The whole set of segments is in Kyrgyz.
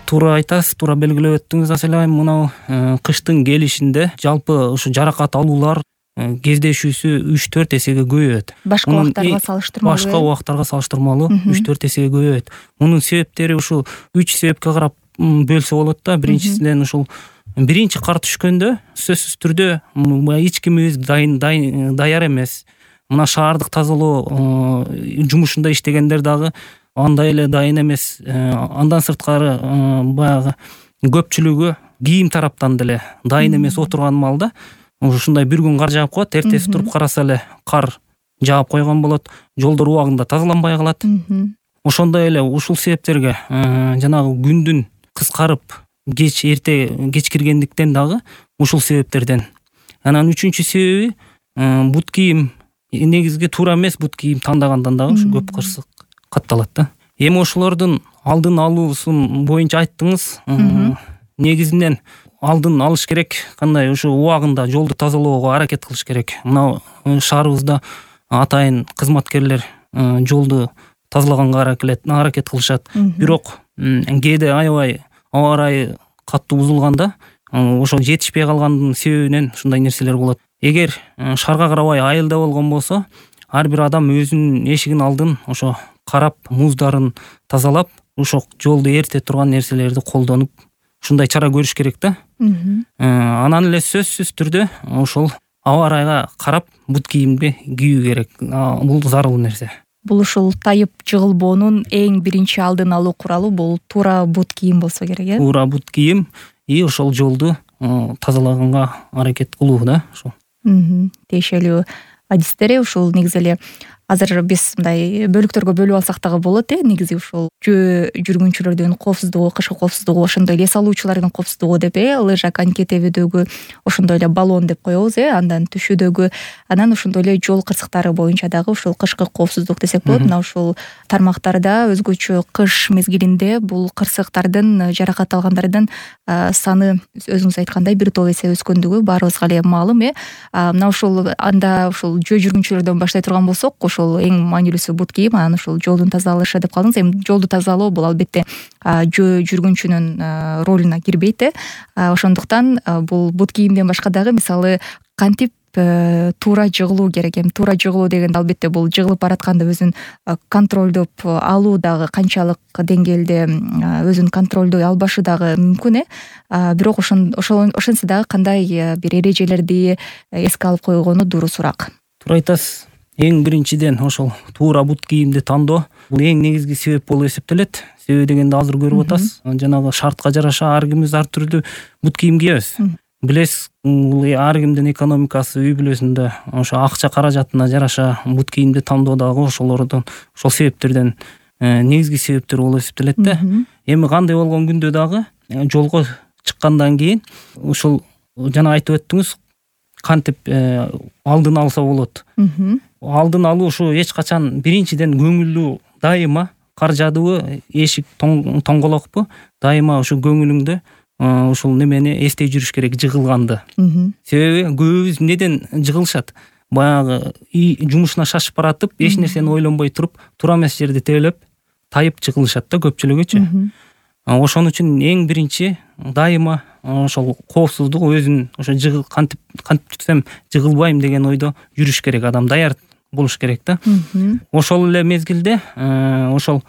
Туура айтасыз, туура белгилеп өттүңүз Аселайым. Мына кыштын келишинде жалпы ушу жаракат алуулар кездешүүсү 3-4 эсеге көбөйөт. Башка убактарга салыштырмалуу. Башка убактарга салыштырмалуу 3-4 эсеге көбөйөт. Мунун себептери ушул 3 себепке карап бөлсө болот да. Биринчисинен ушул биринчи кар түшкөндө сөзсүз түрдө эч кимибиз даяр эмес. Мына шаардык тазалоо жумушунда иштегендер дагы андай эле дайын эмес. Андан сырткары баягы көпчүлүгү кийим тараптан деле дайын эмес отурган маалда ушундай бир күн кар жаап коет, эртеси туруп караса эле кар жаап койгон болот, жолдор убагында тазаланбай калат. Ошондой эле ушул себептерге жанагы күндүн кыскарып эрте кеч киргендиктен дагы ушул себептерден. Анан үчүнчү себеби бут кийим негизги туура эмес бут кийим тандагандан дагы ушу көп кырсык катталат да. Эми ошолордун алдын алуусун боюнча айттыңыз. Негизинен алдын алыш керек. Кандай ушу убагында жолду тазалоого аракет кылыш керек. Мына шаарыбызда атайын кызматкерлер жолду тазалаганга аракет кылышат. Бирок кээде аябай аба ырайы катуу бузулганда ошо жетишпей калгандын себебинен ушундай нерселер болот. Эгер шаарга карабай айылда болгон болсо, ар бир адам өзүнүн эшигин алдын ошо карап, муздарын тазалап, ошо жолду эрте турган нерселерди колдонуп, ушундай чара көрүш керек да. Анан эле сөзсүз түрдө ошол аба ырайга карап бут кийимди кийүү керек. Бул зарыл нерсе. Бул ушул тайып жыгылбоонун эң биринчи алдын алуу куралы бул туура бут кийим болсо керек, э? Туура бут кийим ошол жолду тазалаганга аракет кылуу да. Ошол. Тиешелүү адистери ушул негизи эле азыр биз мындай бөлүктөргө бөлүп алсак дагы болот, негизи ушул жөө жүргүнчүлөрдүн коопсуздугу, кышкы коопсуздугу, ошондой эле эс алуучулардын коопсуздугу деп, лыжа, коньки тебүүдөгү, ошондой эле баллон деп коебуз, андан түшүүдөгү, анан ошондой эле жол кырсыктары боюнча дагы ушул кышкы коопсуздук десек болот. Мына ушул тармактарда өзгөчө кыш мезгилинде бул кырсыктардын, жаракат алгандардын саны өзүңүз айткандай бир топ эсе өскөндүгү баарыбызга эле маалым, Мына ушул анда ушул жөө жүргүнчүлөрдөн баштай турган болсок, ушул эң маанилүүсү бут кийим, анан ушул жолдун тазаланышы деп калдыңыз. Эми жолду тазалоо бул албетте жөө жүргүнчүнүн ролуна кирбейт. Ошондуктан бул бут кийимден башка дагы мисалы кантип туура жыгылуу керек. Эми туура жыгылуу дегенде албетте бул жыгылып баратканда өзүн контролдоп алуу дагы канчалык деңгээлде өзүн контролдой албашы дагы мүмкүн, бирок ошентсе дагы кандай бир эрежелерди эске алып койгону дурусураак. Туура айтасыз. Эң биринчиден ошол туура бут кийимди тандоо бул эң негизги себеп болуп эсептелет. Себеби дегенде азыр көрүп атасыз, жанагы шартка жараша ар кимибиз ар түрдүү бут кийим кийебиз. Билесиз, ар кимдин экономикасы, үй бүлөсүндө ошо акча каражатына жараша бут кийимди тандоо дагы ошол себептерден негизги себептер болуп эсептелет да. Эми кандай болгон күндө дагы жолго чыккандан кийин ушул жана айтып өттүңүз, кантип алдын алса болот. Алдын алуу ушу эч качан биринчиден көңүлдүү, дайыма кар жаадыбы, эшик тоңголокпу, дайыма ушу көңүлүңдө ушул немени эстей жүрүш керек, жыгылганды. Себеби көбүбүз неден жыгылышат? Баягы жумушуна шашып баратып, эч нерсени ойлонбой туруп, туура эмес жерди тебелеп, тайып жыгылышат да көпчүлүгүчү. Ошон үчүн эң биринчи дайыма ошол коопсуздук, өзүн ошо кантип түзсөм жыгылбайм деген ойдо жүрүш керек, адам даяр болуш керек да. Ошол эле мезгилде ошол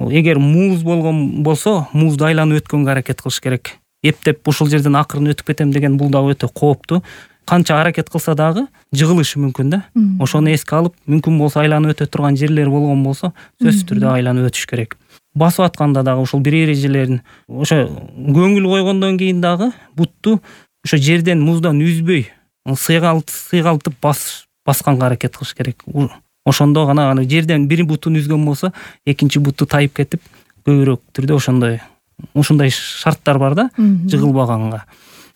эгер муз болгон болсо, музду айланып өткөнгө аракет кылыш керек. Эптеп ушул жерден акырын өтүп кетем деген бул дагы өтө кооптуу. Канча аракет кылса дагы жыгылышы мүмкүн да. Ошону эске алып, мүмкүн болсо айланып өтө турган жерлер болгон болсо, сөзсүз түрдө айланып өтүш керек. Басып атканда дагы ушул бир эрежелерин ошо көңүл койгондон кийин дагы бутту ошо жерден, муздан үзбөй, сыйгалтып басканга аракет кылыш керек. Ошондо гана жерден бир бутун үзгөн болсо, экинчи буту тайып кетип, көбүрөөк түрдө ошондой шарттар бар да, жыгылбаганга.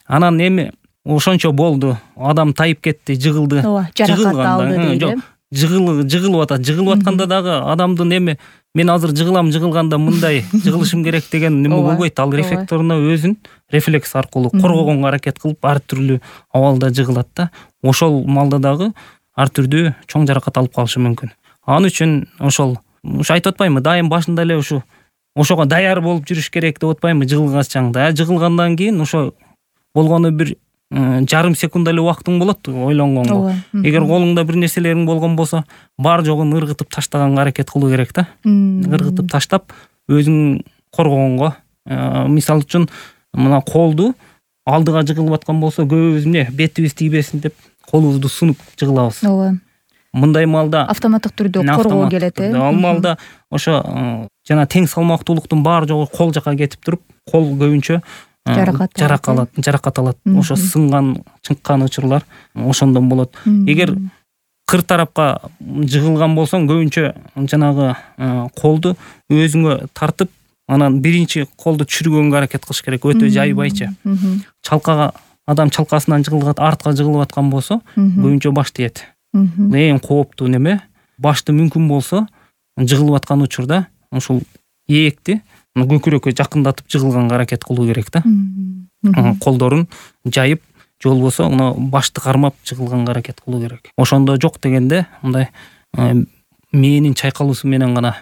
Анан эми ошончо болду, адам тайып кетти, жыгылды. Жаракат алды дейт. Жыгылып атат. Жыгылып атканда дагы адамдын эми мен азыр жыгылганда мындай жыгылышым керек деген неме болбойт. Ал рефлекторуна өзүн рефлекс аркылуу коргогонго аракет кылып ар түрлүү абалда жыгылат да. Ошол маалда дагы ар түрдүү чоң жаракат алып калышы мүмкүн. Ал үчүн ошол айтып атпаймынбы, дайым башында эле ушу ошого даяр болуп жүрүш керек деп атпаймынбы жыгылгачаңда. Жыгылгандан кийин ошо болгону бир жарым секунд эле убактың болот ойлонгонго. Эгер колуңда бир нерселериң болгон болсо, бар жогун ыргытып таштаганга аракет кылуу керек да. Ыргытып таштап өзүң коргогонго. Мисалы үчүн мына колду алдыга жыгылып аткан болсо, көбүбүз эмне бетибиз тийбесин деп колубузду сунуп жыгылабыз. Ооба. Мындай маалда автоматтык түрдө коргоо келет, Ал маалда ошо жана тең салмактуулуктун баары жогу кол жака кетип туруп, кол көбүнчө жаракат алат. Ошо сынган, чыккан учурлар ошондон болот. Эгер кыр тарапка жыгылган болсоң, көбүнчө жанагы колду өзүңө тартып, анан биринчи колду түшүргөнгө аракет кылыш керек, өтө жайбайча. Чалкага адам чалкасынан жыгылгат, артка жыгылып аткан болсо, көбүнчө баш тиет. Эң кооптуу неме, башты мүмкүн болсо жыгылып аткан учурда ушул эекти көкүрөккө жакындатып жыгылганга аракет кылуу керек да. Колдорун жайып, же болбосо башты кармап жыгылганга аракет кылуу керек. Ошондо жок дегенде мындай мээнин чайкалуусу менен гана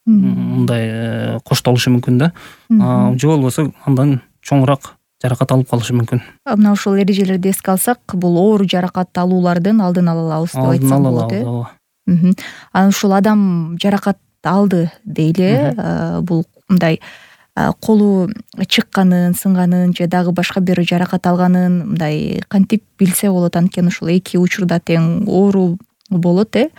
мындай коштолушу мүмкүн да. Же болбосо андан чоңураак жаракат алып калышы мүмкүн. Мына ушул эрежелерди эске алсак, бул оор жаракат алуулардын алдын ала алабыз деп айтсак болот, э? Анан ушул адам жаракат алды дейли, бул мындай колу чыкканын, сынганын же дагы башка бир жаракат алганын мындай кантип билсе болот? Анткени ушул эки учурда тең оору болот, э?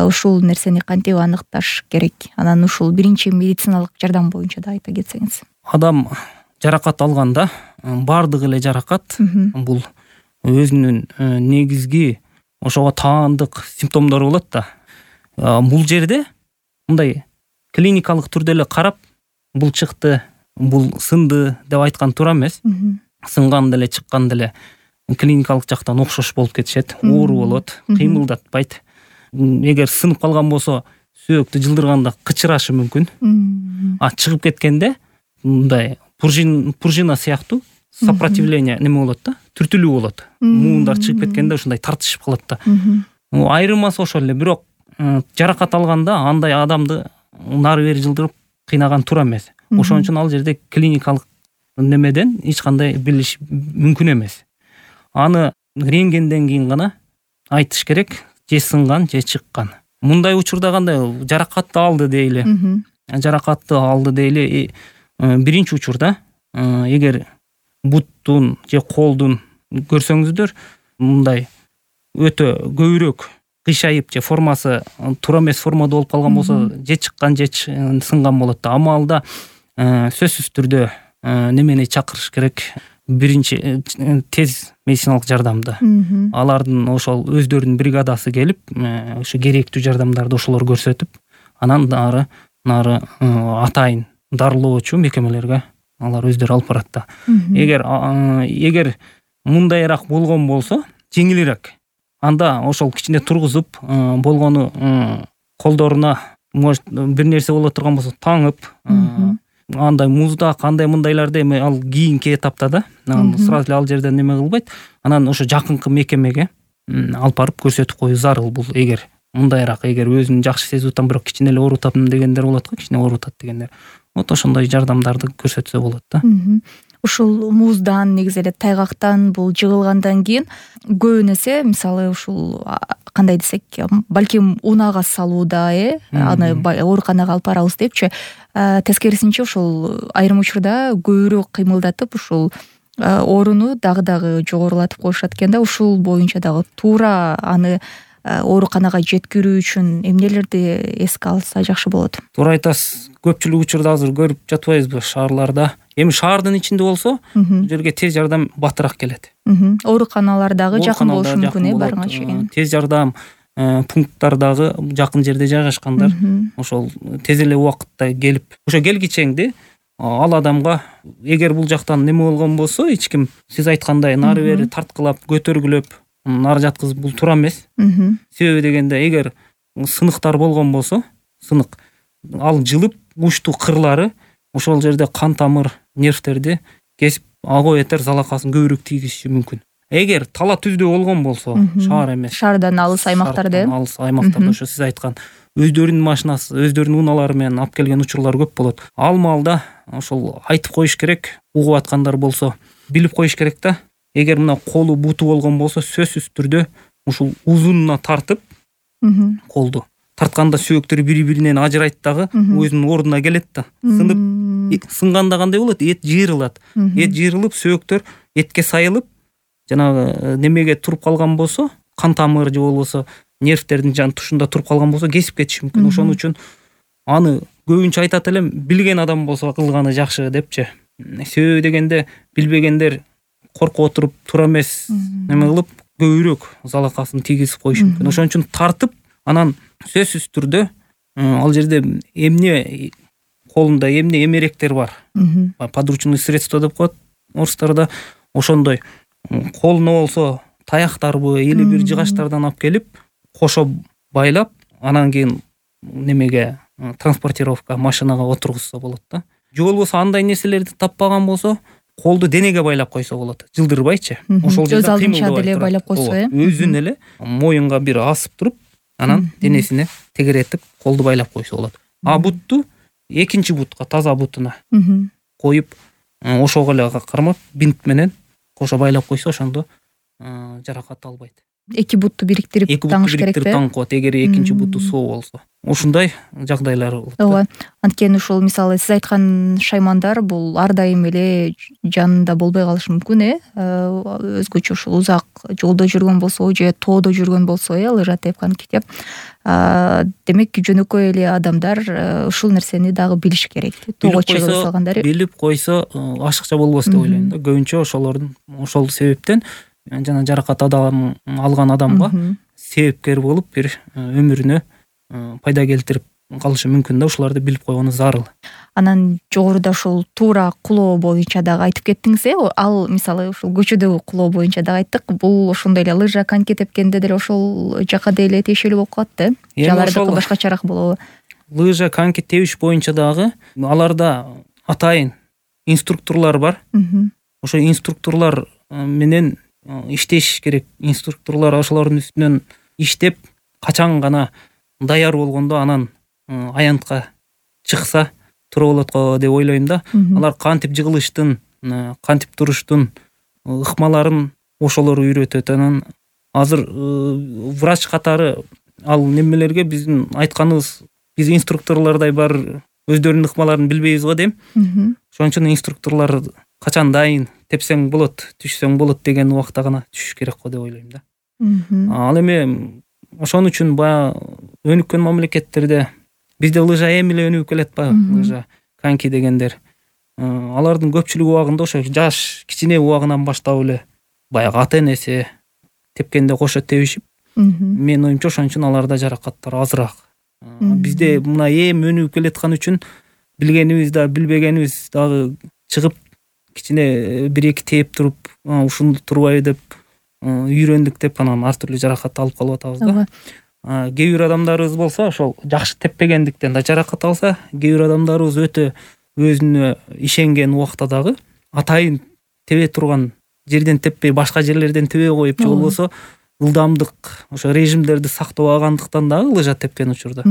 Ушул нерсени кантип аныкташ керек? Анан ушул биринчи медициналык жардам боюнча да айта кетсеңиз. Адам жаракат алганда бардык эле жаракат бул өзүнүн негизги ошого таандык симптомдору болот да. Бул жерде мындай клиникалык түрдө эле карап, бул чыкты, бул сынды деп айткан туура эмес. Сынган деле, чыккан деле клиникалык жактан окшош болуп кетишет. Оору болот, кыймылдатпайт. Эгер сынып калган болсо, сөөктү жылдырганда кычырашы мүмкүн. Чыгып кеткенде мындай пружина сыяктуу сопротивление неме болот да, түртүлүү болот. Муундар чыгып кеткенде ушундай тартышып калат да. Айырмасы ошол эле, бирок жаракат алганда андай адамды нары бери жылдырып кыйнаган туура эмес. Ошон үчүн ал жерде клиникалык немеден эч кандай билиш мүмкүн эмес. Аны рентгенден кийин гана айтыш керек, же сынган, же чыккан. Мындай учурда кандай жаракатты алды дейли. Жаракатты алды дейли. Биринчи учурда эгер буттун же колдун көрсөңүздөр мындай өтө көбүрөөк кыйшайып же формасы туура эмес формада болуп калган болсо, же чыккан же сынган болот да. Амалда сөзсүз түрдө немени чакырыш керек? Биринчи тез медициналык жардамды. Алардын ошол өздөрүнүн бригадасы келип, ошо керектүү жардамдарды ошолор көрсөтүп, анан нары атайын дарылоочу мекемелерге алар өздөрү алып барат да. Эгер мындайраак болгон болсо, жеңилирээк. Анда ошол кичине тургузуп, болгону колдоруна может бир нерсе боло турган болсо таңып, андай муздак, андай мындайларды эми ал кийинки этапта да, сразу эле ал жерден неме кылбайт. Анан ошо жакынкы мекемеге алып барып көрсөтүп коюу зарыл. Бул эгер мындайраак, эгер өзүн жакшы сезип атам, бирок кичине эле оорутатам дегендер болот го, кичине оорутат дегендер. Вот ошондой жардамдарды көрсөтсө болот да. Ушул муздан, негизи эле тайгактан бул жыгылгандан кийин көбүн эсе, мисалы ушул кандай десек, балким унаага салууда, аны ооруканага алып барабыз депчи, тескерисинче ушул айрым учурда көбүрөөк кыймылдатып, ушул ооруну дагы жогорулатып коюшат экен да. Ушул боюнча дагы туура аны ооруканага жеткирүү үчүн эмнелерди эске алса жакшы болот? Туура айтасыз. Көпчүлүк учурда азыр көрүп жатпайбызбы шаарларда? Эми шаардын ичинде болсо, бул жерге тез жардам батыраак келет. Ооруканалар дагы жакын болушу мүмкүн, барыңа чейин. Тез жардам пункттар дагы жакын жерде жайгашкандар. Ошол тез эле убакытта келип, ошо келгичеңди ал адамга, эгер бул жактан неме болгон болсо, эч ким сиз айткандай нары бери тарткылап, көтөргүлөп, нары жаткызып, бул туура эмес. Себеби дегенде, эгер сыныктар болгон болсо, сынык ал жылып, учтуу кырлары ошол жерде кан тамыр, нервтерди кесип, ого этер залакасын көбүрөөк тийгизиши мүмкүн. Эгер тала түздө болгон болсо, шаар эмес, шаардан алыс аймактарда, алыс аймактарда, ошо сиз айткан өздөрүнүн машинасы, өздөрүнүн унаалары менен алып келген учурлар көп болот. Ал маалда ошол айтып коюш керек, угуп аткандар болсо билип коюш керек да. Эгер мына колу буту болгон болсо сөзсүз түрдө ушул узунуна тартып, колду тартканда сөөктөр бири-биринен ажырайт дагы, өзүнүн ордуна келет да. Сынып, сынганда кандай болот? Эт жыйрылат. Эт жыйрылып, сөөктөр этке сайылып, жанагы немеге туруп калган болсо, кан тамыр же болбосо нервтердин жан тушунда туруп калган болсо кесип кетиши мүмкүн. Ошон үчүн аны көбүнчө айтат элем, билген адам болсо кылганы жакшы депчи. Себеби дегенде билбегендер коркуп отуруп туура эмес неме кылып көбүрөөк залакасын тийгизип коюшу мүмкүн. Ошон үчүн тартып, анан сөзсүз түрдө ал жерде эмне колунда эмне эмеректер бар. Подручный средство деп коет орустарда. Ошондой колуна болсо таяктарбы или бир жыгачтардан алып келип, кошо байлап, анан кийин немеге транспортировка машинага отургузса болот да. Же болбосо андай нерселерди таппаган болсо, колду денеге байлап койсо болот, жылдырбайчы. Ошол жерде алдынча деле байлап койсо, өзүн эле моюнга бир асып туруп, анан денесине тегеретип колду байлап койсо болот. А бутту экинчи бутка, таза бутуна коюп, ошого эле кармап бинт менен кошо байлап койсо, ошондо жаракат албайт. Эки бутту бириктирип таңыш керек да. Таңкот, эгер экинчи буту соо болсо. Ушундай жагдайлар болот. Ооба. Анткени ушул мисалы сиз айткан шаймандар бул ар дайым эле жанында болбой калышы мүмкүн, өзгөчө ушул узак жолдо жүргөн болсо же тоодо жүргөн болсо, лыжа тепкан китеп. Демек жөнөкөй эле адамдар ушул нерсени дагы билиш керек. Тоого чыгып салгандар билип койсо ашыкча болбос деп ойлойм да. Көбүнчө ошолордун ошол себептен жана жаракат алган адамга себепкер болуп бир өмүрүнө пайда келтирип калышы мүмкүн да. Ушуларды билип койгону зарыл. Анан жогоруда ушул туура кулоо боюнча дагы айтып кеттиңиз, ал мисалы ушул көчөдөгү кулоо боюнча дагы айттык. Бул ошондой эле лыжа, коньки тепкенде деле ошол жака деле тиешелүү болуп калат да. Алардыкы башкачараак болобу? Лыжа, коньки тебиш боюнча дагы аларда атайын инструкторлор бар. Ошо инструкторлор менен иштеш керек. Инструкторлор ошолордун үстүнөн иштеп, качан гана даяр болгондо анан аянтка чыкса туура болот го деп ойлойм да. Алар кантип жыгылыштын, кантип туруштун ыкмаларын ошолор үйрөтөт. Анан азыр врач катары ал немелерге биздин айтканыбыз, биз инструкторлордой бар өздөрүнүн ыкмаларын билбейбиз го дейм. Ошон үчүн инструкторлор качан дайын, тепсең болот, түшсөң болот деген убакта гана түшүш керек го деп ойлойм да. Ал эми ошон үчүн баягы өнүккөн мамлекеттерде бизде лыжа эми эле өнүгүп келет баягы, лыжа, коньки дегендер. Алардын көпчүлүк убагында ошо жаш кичине убагынан баштап эле баягы ата-энеси тепкенде кошо тебишип, менин оюмча ошон үчүн аларда жаракаттар азыраак. Бизде мына эми өнүгүп келаткан үчүн билгенибиз да, билбегенибиз дагы чыгып кичине бир-эки тээп туруп, ушунду турбайбы деп үйрөндүк деп анан ар түрдүү жаракат алып калып атабыз да. Кээ бир адамдарыбыз болсо ошол жакшы теппегендиктен да жаракат алса, кээ бир адамдарыбыз өтө өзүнө ишенген убакта дагы атайын тебе турган жерден теппей башка жерлерден тебе коюп, же болбосо ылдамдык ошо режимдерди сактабагандыктан дагы лыжа тепкен учурда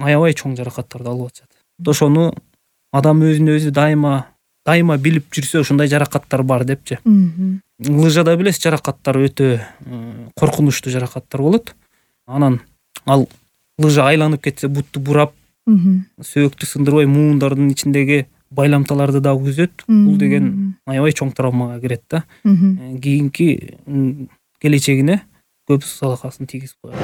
аябай чоң жаракаттарды алып атышат. Ошону адам өзүн өзү дайыма билип жүрсө ушундай жаракаттар бар депчи. Лыжада билесиз, жаракаттар өтө коркунучтуу жаракаттар болот. Анан ал лыжа айланып кетсе бутту бурап, сөөктү сындырбай муундардын ичиндеги байламталарды дагы үзөт. Бул деген аябай чоң травмага кирет да. Кийинки келечегине көп залакасын тийгизип коет.